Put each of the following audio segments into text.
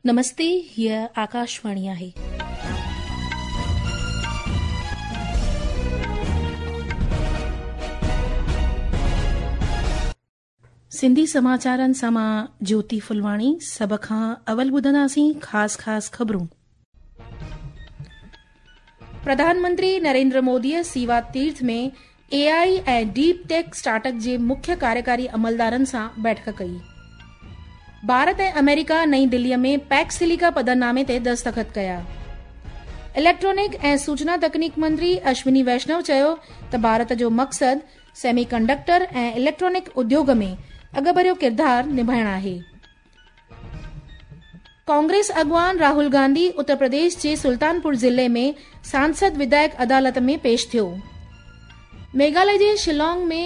نمستي هيء آڪاشواڻي آهي. سنڌي سماچارن سان مان جوتي ڦلواڻي سڀ کان اول ٻڌنداسين خاص خاص خبرون. پرڌان منتري نريندر موديء سيوا تيرٿ ۾ اي I ۽ deep tech start up جي مکيه ڪاريڪاري عملدارن سان بيٺڪ ڪئي. ڀارت ۽ آمريڪا نئين دليء ۾ پيڪس سليڪا پڌرنامي تي دستخط ڪيا. اليڪٽرانڪ ۽ سوچنا تڪنيڪ منتري اشوني ويشنو چيو ته ڀارت جو مقصد سيمي ڪنڊڪٽر ۽ اليڪٽرانڪ اديوگ ۾ اڳڀريو ڪردار نڀائڻ آهي. ڪانگريس اڳواڻ راهول گانڌي اتر پرديش جي سلطانپور ضلعي ۾ سانسد وڌايڪ عدالت ۾ پيش ٿيو. ميگهاليه جي شيلانگ ۾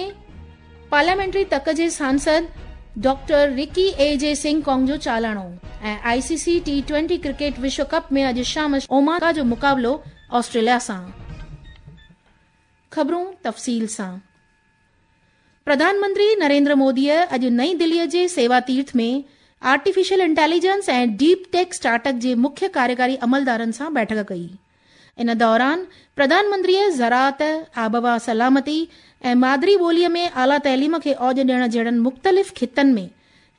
پارليامينٽري تڪ جي سانسد ڊاڪٽر رڪي اي جي سنگهه ڪانگ جو چالاڻو ۽ آء سي سي ٽي ٽوئنٽي ڪرڪيٽ وشو ڪپ ۾ اڄ شام اومان جو مقابلو آسٽريليا سان. خبرون تفصيل سان پرڌان منتري نريندر موديء اڄ نئين دليء جي سيوا تيرٿ ۾ artificial intelligence ۽ deep tech start up جي مکيه ڪاريڪاري عملدارن سان بيٺڪ ڪئي. ان دوران پرڌان منتريء زراعت، آبهوا سلامتي ۽ مادري ٻوليء ۾ اعليٰ تعليم کي اوڄ ڏيڻ جهڙن مختلف خطن ۾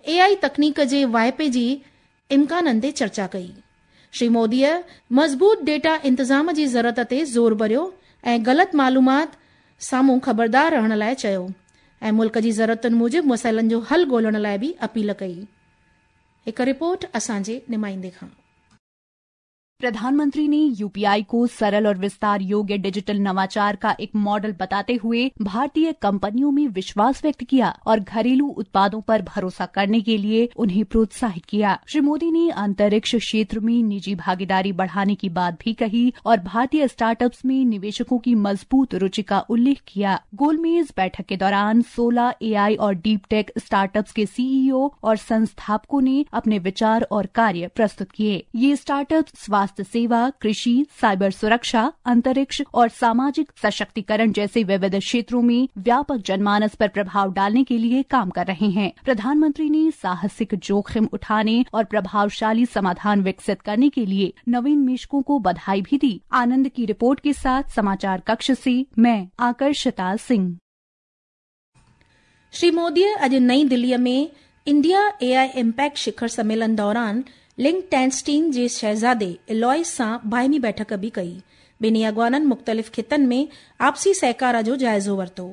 اي آء تڪنيڪ جي واهپي جي امڪانن تي چرچا ڪئي. شري موديء مضبوط ڊيٽا انتظام جي ضرورت تي زور ڀريو ۽ غلط معلومات سامهون خبردار رهڻ لاء چيو ۽ ملڪ جي ضرورتن موجب مسئلن جو حل ڳولڻ لاء به اپيل ڪئي. هڪ رپورٽ اسان جي نمائندي کان. प्रधानमंत्री ने यूपीआई को सरल और विस्तार योग्य डिजिटल नवाचार का एक मॉडल बताते हुए भारतीय कंपनियों में विश्वास व्यक्त किया और घरेलू उत्पादों पर भरोसा करने के लिए उन्हें प्रोत्साहित किया। श्री मोदी ने अंतरिक्ष क्षेत्र में निजी भागीदारी बढ़ाने की बात भी कही और भारतीय स्टार्टअप्स में निवेशकों की मजबूत रुचि का उल्लेख किया। गोलमेज बैठक के दौरान 16 एआई और डीप टेक स्टार्टअप्स के सीईओ और संस्थापकों ने अपने विचार और कार्य प्रस्तुत किए। ये स्टार्टअप्स स्वास्थ्य सेवा, कृषि, साइबर सुरक्षा, अंतरिक्ष और सामाजिक सशक्तिकरण जैसे विविध क्षेत्रों में व्यापक जनमानस पर प्रभाव डालने के लिए काम कर रहे हैं। प्रधानमंत्री ने साहसिक जोखिम उठाने और प्रभावशाली समाधान विकसित करने के लिए नवोन्मेषकों को बधाई भी दी। आनंद की रिपोर्ट के साथ समाचार कक्ष से मैं आकर्षिता सिंह। श्री मोदीअ अॼु नई दिल्लीअ में इंडिया ए I impact शिखर सम्मेलन दौरान लिंकटेंस्टीन जे शहज़ादे एलॉयस सां बाहिमी बैठक बि कई। ॿिन्ही अॻवाननि मुख़्तलिफ़ ख़ितनि में आपसी सहकार जो जाइज़ो वरितो।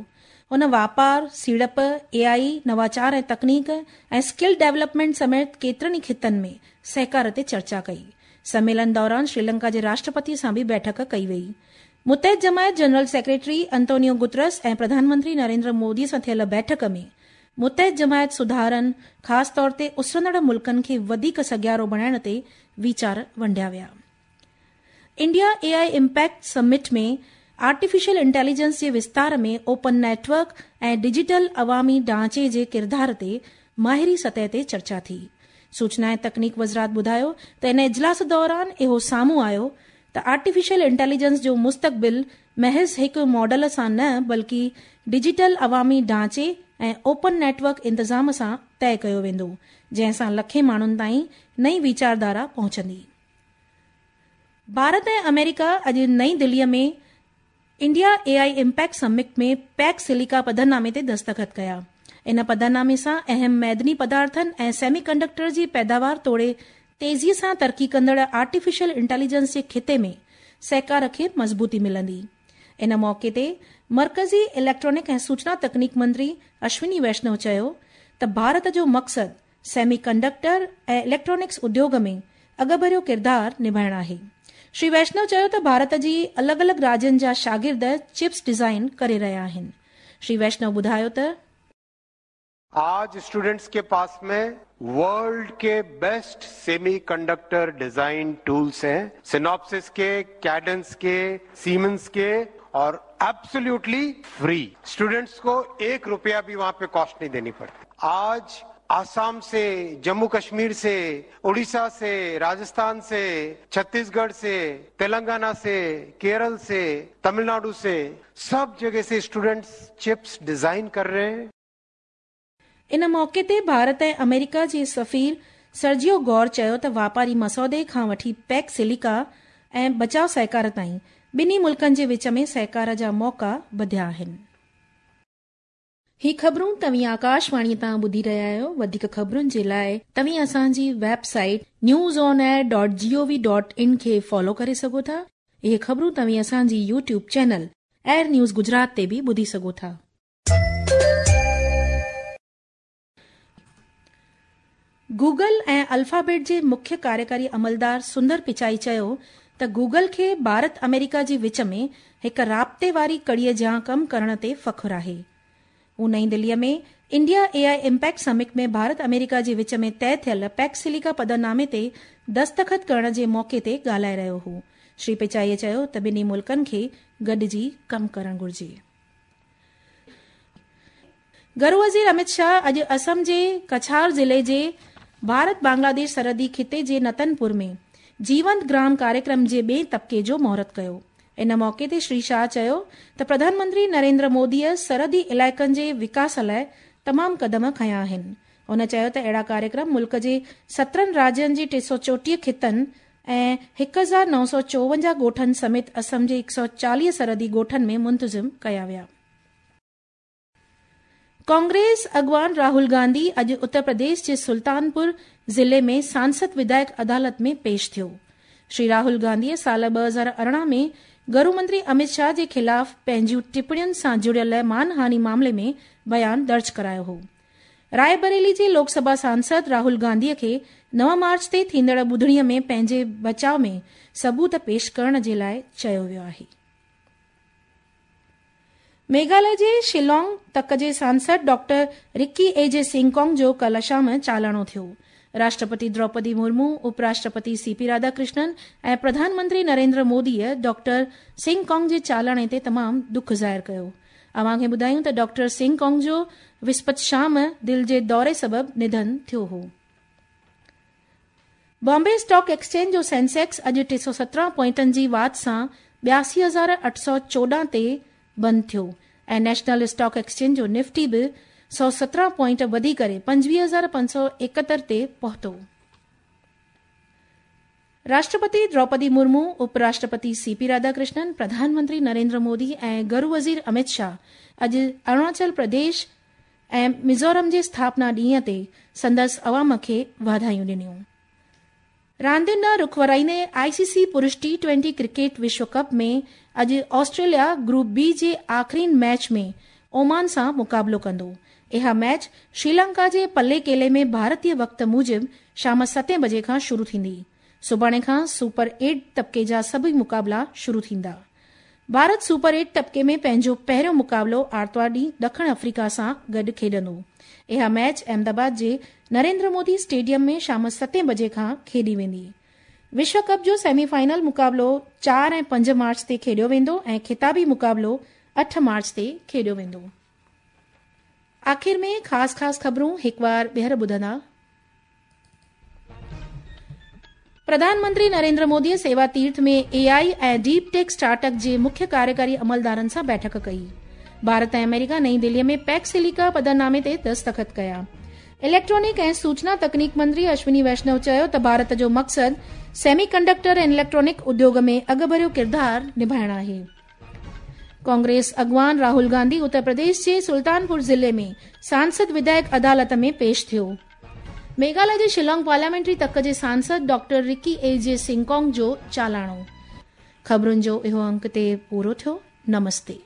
हुन वापार, सीड़प, ए आई, नवाचार ऐं तकनीक ऐं स्किल डेवलपमेंट समेत केतिरनि ई ख़ितनि में सहकार ते चर्चा कई। सम्मेलन दौरान श्रीलंका जे राष्ट्रपति सां बि बैठक कई वई। मुतहद जमायत जनरल सेक्रेटरी अंतोनियो गुतरस ऐं प्रधानमंत्री नरेंद्र मोदी सां थियल बैठक में मुतहद जमायत सुधारनि, ख़ासि तौर ते उसरंदड़ मुल्कनि खे वधीक सघियारो बणाइण ते वीचार वंडिया विया। India A I impact summit में आर्टिफिशियल इंटेलिजेंस जे विस्तार में ओपन नेटवर्क ऐं डिजिटल अवामी ढांचे जे किरदार ते माहिरी सतह ते चर्चा थी। सूचना ऐं तकनीक वज़ारत ॿुधायो त इन इजलास दौरान इहो साम्हूं आयो त आर्टिफिशियल इंटेलिजेंस जो मुस्तक़बिल महज़ हिकु मॉडल सां न बल्कि डिजिटल अवामी ढांचे ऐं ओपन नेटवर्क इंतज़ाम सां तय कयो वेंदो, जंहिं सां लखें माण्हुनि ताईं नई वीचारधारा पहुचंदी। भारत ऐं अमेरिका अॼु नई दिल्लीअ में India A I impact summit में पैक सिलिका पधरनामे ते दस्तख़त कया। इन पधरनामे सां अहम मैदनी पदार्थनि ऐं सेमी कंडक्टर जी पैदावार तोड़े तेज़ीअ सां तरक़ी कंदड़ आर्टिफिशियल इंटेलिजेंस जे ख़िते में सहकार खे मज़बूती मिलंदी। इन मौक़े ते मर्कज़ी इलेक्ट्रॉनिक ऐं सूचना तकनीक मंत्री अश्विनी वैष्णव चयो त भारत जो मक़सदु सेमी कंडक्टर ऐं इलेक्ट्रॉनिक्स उद्योग में अॻभरियो किरदार निभाइण आहे। श्री वैष्णव चयो त भारत जी अलॻि अलॻि राज्यनि जा शागिर्द चिप्स डिज़ाइन करे रहिया आहिनि। श्री वैष्णव ॿुधायो त आज स्टूडेंट्स के पास में वर्ल्ड के बेस्ट सेमीकंडक्टर डिजाइन टूल्स हैं, सिनॉप्सिस के, कैडेंस के, सीमेंस के, और एब्सोल्युटली फ्री। स्टूडेंट्स को 1 रुपया भी वहां पे कॉस्ट नहीं देनी पड़ती। आज आसाम से, जम्मू कश्मीर से, उड़ीसा से, राजस्थान से, छत्तीसगढ़ से, तेलंगाना से, केरल से, तमिलनाडु से, सब जगह से स्टूडेंट्स चिप्स डिजाइन कर रहे हैं। इन मौक़े ते भारत ऐं अमेरिका जे सफ़ीर سرجيو گور چيو ته واپاري مسودي کان وٺي پيڪ سليڪا ۽ بچاء سهڪار تائين ٻنهي ملڪن جي وچ ۾ سهڪار جا موقعا وڌيا آهن. هي خبرون توهين آڪاشواڻي تان ٻڌي رهيا آهيو. وڌيڪ خبرن جي لاء توهين اسان جي website news on air dot G O V dot in کي فالو ڪري سگهو ٿا. اهي خبرون توهين اسان جي YouTube channel AIR news Gujarat تي به ٻڌي سگهو ٿا. گوگل ۽ الفابيٽ جي مکيه ڪاريڪاري عملدار سندر پچائي چيو ته گوگل کي ڀارت آمريڪا جي وچ ۾ هڪ رابطي واري ڪڙي جيان ڪم ڪرڻ تي فخر آهي. هو نئين دلي ۾ India A I impact summit ۾ Bharat آمريڪا جي وچ ۾ طئي ٿيل پيڪس سليڪا پڌرنامي تي دستخط ڪرڻ جي موقعي تي ڳالهائي رهيو هو. شري پچائي چيو ته ٻنهي ملڪن کي گڏجي ڪم ڪرڻ گهرجي. گهرو وزير امت شاهه اڄ اسم جي ڪڇار ضلعي جي ڀارت بنگلاديش سرحدي خطي جي نتن پور ۾ جيونت گرام ڪاريڪرم جي ٻئين طبقي جو مهورت ڪيو. ان موقعي تي شري شاهه چيو ته پرڌان منتري نريندر موديء سرحدي علائقن جي وڪاس لاء تمام قدم کنيا آهن. هن چيو ته اهڙا ڪاريڪرم ملڪ جي 17 راجين جي 334 خطن ۽ 1954 ڳوٺن سميت اسم جي 140 سرحدي ڳوٺن ۾ منتظم ڪيا ويا. ڪانگريس اڳواڻ راهول گانڌي اڄ اتر پرديش جي سلطانپور ضلعي ۾ سانسد وڌايڪ عدالت ۾ پيش ٿيو. شري راهول گانڌيء سال 2018 ۾ گهرو منتري امت شاهه جي خلاف پنهنجيون ٽپڻين سان جڙيل مانهاني معاملي ۾ بيان درج ڪرايو هو. رائي بريلي جي لوڪ سڀا سانسد راهول گانڌيء کي 9 مارچ تي ٿيندڙ ٻڌڻيء ۾ پنهنجي بچاء ۾ ثبوت پيش ڪرڻ جي لاء چيو ويو آهي. ميگهاليه جي شيلانگ تڪ جي سانسد ڊاڪٽر رڪي اي جي سنگڪونگ جو ڪالهه شام چالاڻو ٿيو. راشٽرپتي دروپدي مرمو، اپ راشٽرپتي سي پي راڌاڪرشنن ۽ پرڌان منتري نريندر موديء ڊاڪٽر سنگڪونگ جي چالاڻي تي تمام ڏک ظاهر ڪيو. اوهان کي ٻڌايون ته ڊاڪٽر سنگڪونگ جو وسپت شام دل جي دوري سبب نڌن ٿيو هو. بامبي اسٽاڪ ايڪسچينج جو سينسيڪس اڄ 317 پوائنٽن جي واڌ سان 82,814 تي بند ٿيو ۽ نيشنل اسٽاڪ ايڪسچينج جو نفٽي به 117 پوائنٽ وڌي ڪري 25,571 تي پهتو. راشٽرپتي دروپدي مرمو، اپ راشٽرپتي سي پي راڌاڪرشنن، پرڌان منتري نريندر مودي ۽ گهرو وزير امت شاهه اڄ اروناچل پرديش ۽ ميزورم جي اسٿاپنا ڏينهن تي سندس عوام کي واڌايون ڏنيون. راندين ڏانهن رخ ورائيندي آء سي سي پرش ٽي ٽوئنٽي ڪرڪيٽ وشو ڪپ ۾ اڄ آسٽريليا گروپ بي جي آخرين ميچ ۾ اومان سان مقابلو ڪندو. اها ميچ شريلنڪا جي پلي ڪيلي ۾ ڀارتي وقت موجب شام ستين بجي کان شروع ٿيندي. سڀاڻي کان سپر ايٽ طبقي جا سڀئي مقابلا شروع ٿيندا. ڀارت سپر ايٽ طبقي ۾ پنهنجو پهريون مقابلو آرتوار ڏينهن ڏکڻ آفريڪا سان گڏ کيڏندو. اها ميچ احمدآباد جي نريندر مودي اسٽيڊيم ۾ شام ستين بجي کان کيڏي ويندي. وشو ڪپ جو سيمي فائنل مقابلو 4 ۽ 5 مارچ تي کيڏيو ويندو ۽ خطابي مقابلو 8 مارچ تي کيڏيو ويندو. آخر ۾ خاص خاص خبرون هڪوار ٻيهر ٻڌندا. پرڌان منتري نريندر مودي سيوا تيرٿ ۾ اي آء ۽ ڊيپ ٽيڪ اسٽارٽ اپ جي مکيه ڪاريڪاري عملدارن سان بيٺڪ ڪئي. ڀارت ۽ آمريڪا نئين دلي ۾ پيڪس سليڪا پڌرنامي تي دستخط ڪيا. اليڪٽرانڪ ۽ سوچنا تڪنيڪ منتري اشوني ويشنو چيو ته ڀارت جو مقصد سيمي ڪنڊڪٽر ۽ اليڪٽرانڪ اديوگ ۾ اڳڀريو ڪردار نڀائڻ آهي. ڪانگريس اڳواڻ راهول گانڌي اتر پرديش جي سلطانپور ضلعي ۾ سانسد وڌايڪ عدالت ۾ پيش ٿيو. ميگهاليه جي شيلانگ پارليامينٽري تڪ جي سانسد ڊاڪٽر رڪي اي جي سنگڪونگ جو چالاڻو. خبرن جو اهو انڪ تي پورو ٿيو. نمستي.